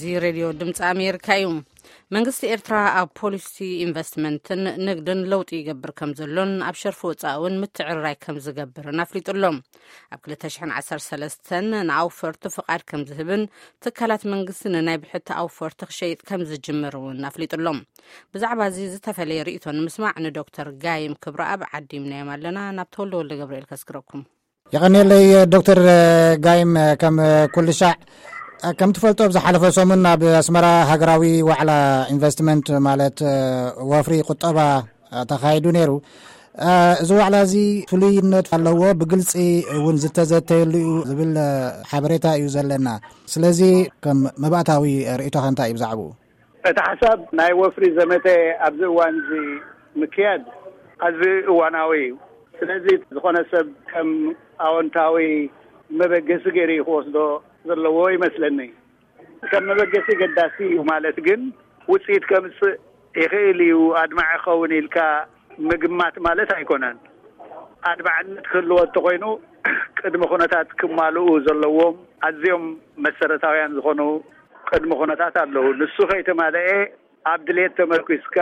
እዚ ሬድዮ ድምፂ ኣሜሪካ እዩ። መንግስቲ ኤርትራ ኣብ ፖሊሲ ኢንቨስትመንትን ንግድን ለውጢ ይገብር ከም ዘሎን ኣብ ሸርፊ ወፃኢ እውን ምትዕርራይ ከም ዝገብርን ኣፍሊጡ ኣሎ። ኣብ ክልተ ሽሕን ዓሰርተ ሰለስተን ንኣውፈርቲ ፍቓድ ከም ዝህብን ትካላት መንግስቲ ንናይ ብሕቲ ኣውፈርቲ ክሸይጥ ከም ዝጅምር እውን ኣፍሊጡ ኣሎ። ብዛዕባ እዚ ዝተፈለየ ርእይቶ ንምስማዕ ንዶክተር ጋይም ክብረኣብ ዓዲምናዮም ኣለና። ናብ ተወልደ ወልደ ገብርኤል ከስግረኩም። የቐንየለይ ዶክተር ጋይም። ከም ኩሉ ሻዕ ከም ትፈልጦ ኣብ ዝሓለፈ ሰሙን ኣብ ኣስመራ ሃገራዊ ዋዕላ ኢንቨስትመንት ማለት ወፍሪ ቁጠባ ተኻይዱ ነይሩ። እዚ ዋዕላ እዚ ፍሉይነት ኣለዎ፣ ብግልፂ እውን ዝተዘተየሉ እዩ ዝብል ሓበሬታ እዩ ዘለና። ስለዚ ከም መባእታዊ ርእይቶኻ እንታይ እዩ ብዛዕባኡ? እቲ ሓሳብ ናይ ወፍሪ ዘመተ ኣብዚ እዋን እዚ ምክያድ ኣዝዩ እዋናዊ እዩ። ስለዚ ዝኾነ ሰብ ከም ኣወንታዊ መበገሲ ገይሩ እዩ ክወስዶ ዘለዎ ይመስለኒ። ከም መበገሲ ገዳሲ እዩ ማለት ግን ውፅኢት ከምፅእ ይኽእል እዩ፣ ኣድማዒ ክኸውን ኢልካ ምግማት ማለት ኣይኮነን። ኣድማዕነት ክህልዎ እንተኾይኑ ቅድመ ኩነታት ክማልኡ ዘለዎም ኣዝዮም መሰረታውያን ዝኾኑ ቅድመ ኩነታት ኣለዉ። ንሱ ከይተማልአ ኣብ ድሌት ተመርኪስካ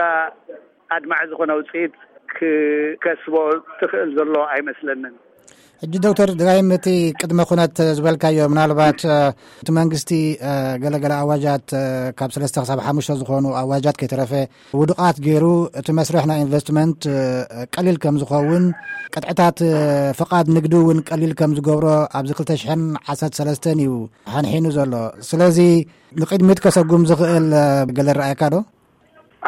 ኣድማዒ ዝኾነ ውፅኢት ክከስቦ ትኽእል ዘሎ ኣይመስለንን። ሕጂ ዶክተር ድጋይም እቲ ቅድመ ኩነት ዝበልካዮ ምናልባት እቲ መንግስቲ ገለገለ ኣዋጃት ካብ ሰለስተ ክሳብ ሓሙሽተ ዝኾኑ ኣዋጃት ከይተረፈ ውዱቓት ገይሩ እቲ መስርሕ ናይ ኢንቨስትመንት ቀሊል ከም ዝኸውን ቅጥዕታት ፍቓድ ንግዲ እውን ቀሊል ከም ዝገብሮ ኣብዚ ክልተ ሽሕን ዓሰርተ ሰለስተን እዩ ሓንሒኑ ዘሎ። ስለዚ ንቕድሚት ከሰጉም ዝኽእል ገለ ረኣየካ ዶ?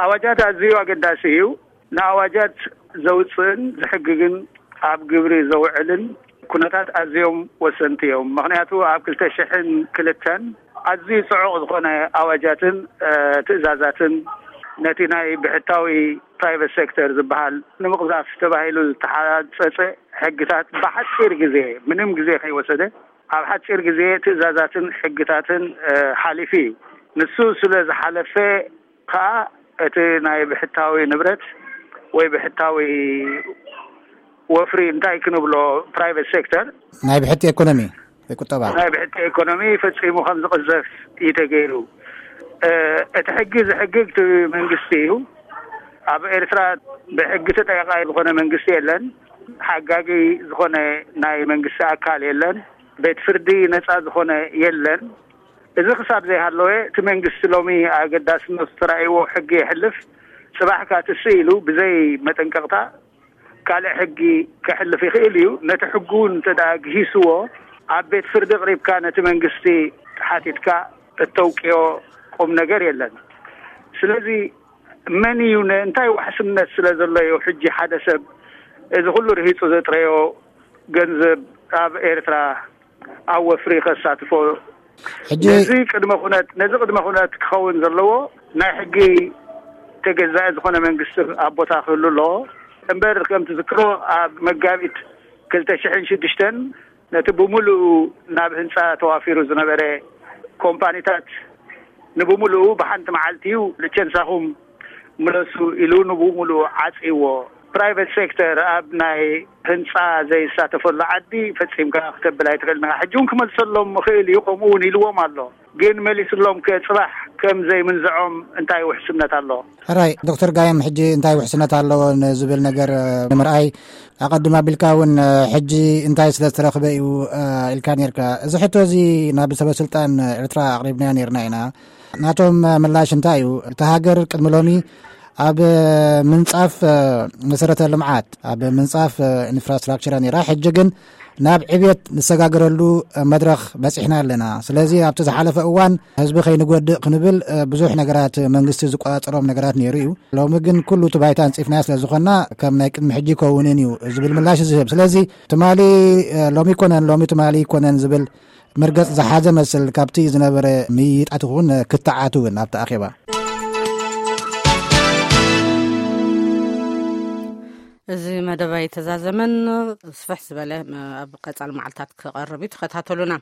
ኣዋጃት ኣዝዩ ኣገዳሲ እዩ። ንኣዋጃት ዘውፅእን ዝሕግግን ኣብ ግብሪ ዘውዕልን ኩነታት ኣዝዮም ወሰንቲ እዮም። ምኽንያቱ ኣብ ክልተ ሽሕን ክልተን ኣዝዩ ጽዑቕ ዝኾነ ኣዋጃትን ትእዛዛትን ነቲ ናይ ብሕታዊ ፕራይቨት ሴክተር ዝበሃል ንምቕዛፍ ተባሂሉ ዝተሓጸጸ ሕግታት ብሓጺር ግዜ፣ ምንም ግዜ ከይወሰደ ኣብ ሓጺር ግዜ ትእዛዛትን ሕግታትን ሓሊፉ እዩ። ንሱ ስለ ዝሓለፈ ከኣ እቲ ናይ ብሕታዊ ንብረት ወይ ብሕታዊ ወፍሪ እንታይ ክንብሎ ፕራይቨት ሴክተር ናይ ብሕቲ ኤኮኖሚ ወይ ቁጠባ ናይ ብሕቲ ኤኮኖሚ ፈጺሙ ከም ዝቕዘፍ እዩ ተገይሩ። እቲ ሕጊ ዝሕግግ እቲ መንግስቲ እዩ። ኣብ ኤርትራ ብሕጊ ተጠቃላይ ዝኾነ መንግስቲ የለን። ሓጋጊ ዝኾነ ናይ መንግስቲ ኣካል የለን። ቤት ፍርዲ ነጻ ዝኾነ የለን። እዚ ክሳብ ዘይሃለወ እቲ መንግስቲ ሎሚ ኣገዳስነቱ ተራእይዎ ሕጊ የሕልፍ፣ ጽባሕ ካትስእ ኢሉ ብዘይ መጠንቀቕታ ካልእ ሕጊ ከሕልፍ ይኽእል እዩ። ነቲ ሕጉ እውን እንተ ደኣ ግሂስዎ ኣብ ቤት ፍርዲ ኣቕሪብካ ነቲ መንግስቲ ሓቲትካ እተውቅዮ ቁም ነገር የለን። ስለዚ መን እዩ እንታይ ዋሕስነት ስለ ዘሎ እዩ ሕጂ ሓደ ሰብ እዚ ኩሉ ርሂጹ ዘጥረዮ ገንዘብ ኣብ ኤርትራ ኣብ ወፍሪ ከሳትፎ? ሕጂ ነዚ ቅድመ ኩነት ነዚ ቅድመ ኩነት ክኸውን ዘለዎ ናይ ሕጊ ተገዛኢ ዝኾነ መንግስቲ ኣብ ቦታ ክህሉ ኣለዎ። እምበር ከም ትዝክሮ ኣብ መጋቢት ክልተ ሽሕን ሽዱሽተን ነቲ ብምሉኡ ናብ ህንፃ ተዋፊሩ ዝነበረ ኮምፓኒታት ንብምሉኡ ብሓንቲ መዓልቲ እዩ ልቸንሳኹም ምለሱ ኢሉ ንብምሉኡ ዓፂዎ። ፕራይቨት ሴክተር ኣብ ናይ ህንፃ ዘይሳተፈሉ ዓዲ ፈፂምካ ክተብል ኣይትኽእልን ኢኻ። ሕጂ እውን ክመልሰሎም ይኽእል እዩ፣ ከምኡ እውን ኢልዎም ኣሎ። ግን መሊስሎም ከ ፅባሕ ከም ዘይምንዝዖም እንታይ ውሕስነት ኣሎ? ሕራይ ዶክተር ጋየም፣ ሕጂ እንታይ ውሕስነት ኣለዎ ንዝብል ነገር ንምርኣይ ኣቐድም ኣቢልካ እውን ሕጂ እንታይ ስለ ዝተረኽበ እዩ ኢልካ ነርካ። እዚ ሕቶ እዚ ናብ ሰበ ስልጣን ኤርትራ ኣቕሪብናዮ ነርና ኢና። ናቶም ምላሽ እንታይ እዩ? እታ ሃገር ቅድሚ ሎሚ ኣብ ምንጻፍ መሰረተ ልምዓት፣ ኣብ ምንጻፍ ኢንፍራስትራክቸር ነይራ። ሕጂ ግን ናብ ዕብየት ንሰጋገረሉ መድረኽ በጺሕና ኣለና። ስለዚ ኣብቲ ዝሓለፈ እዋን ህዝቢ ከይንጎድእ ክንብል ብዙሕ ነገራት መንግስቲ ዝቆጻጸሮም ነገራት ነይሩ እዩ። ሎሚ ግን ኩሉ እቲ ባይታ ኣንጺፍናዮ ስለ ዝኾንና ከም ናይ ቅድሚ ሕጂ ይከውንን እዩ ዝብል ምላሽ ዝህብ። ስለዚ ትማሊ ሎሚ ይኮነን፣ ሎሚ ትማሊ ይኮነን ዝብል መርገጽ ዝሓዘ መስል ካብቲ ዝነበረ ምይይጣት እውን ክትዓት እውን ኣብቲ ኣኼባ። እዚ መደብ ኣይተዛዘመን፣ ስፍሕ ዝበለ ኣብ ቀጻሊ መዓልታት ክቐርብ እዩ። ተኸታተሉና።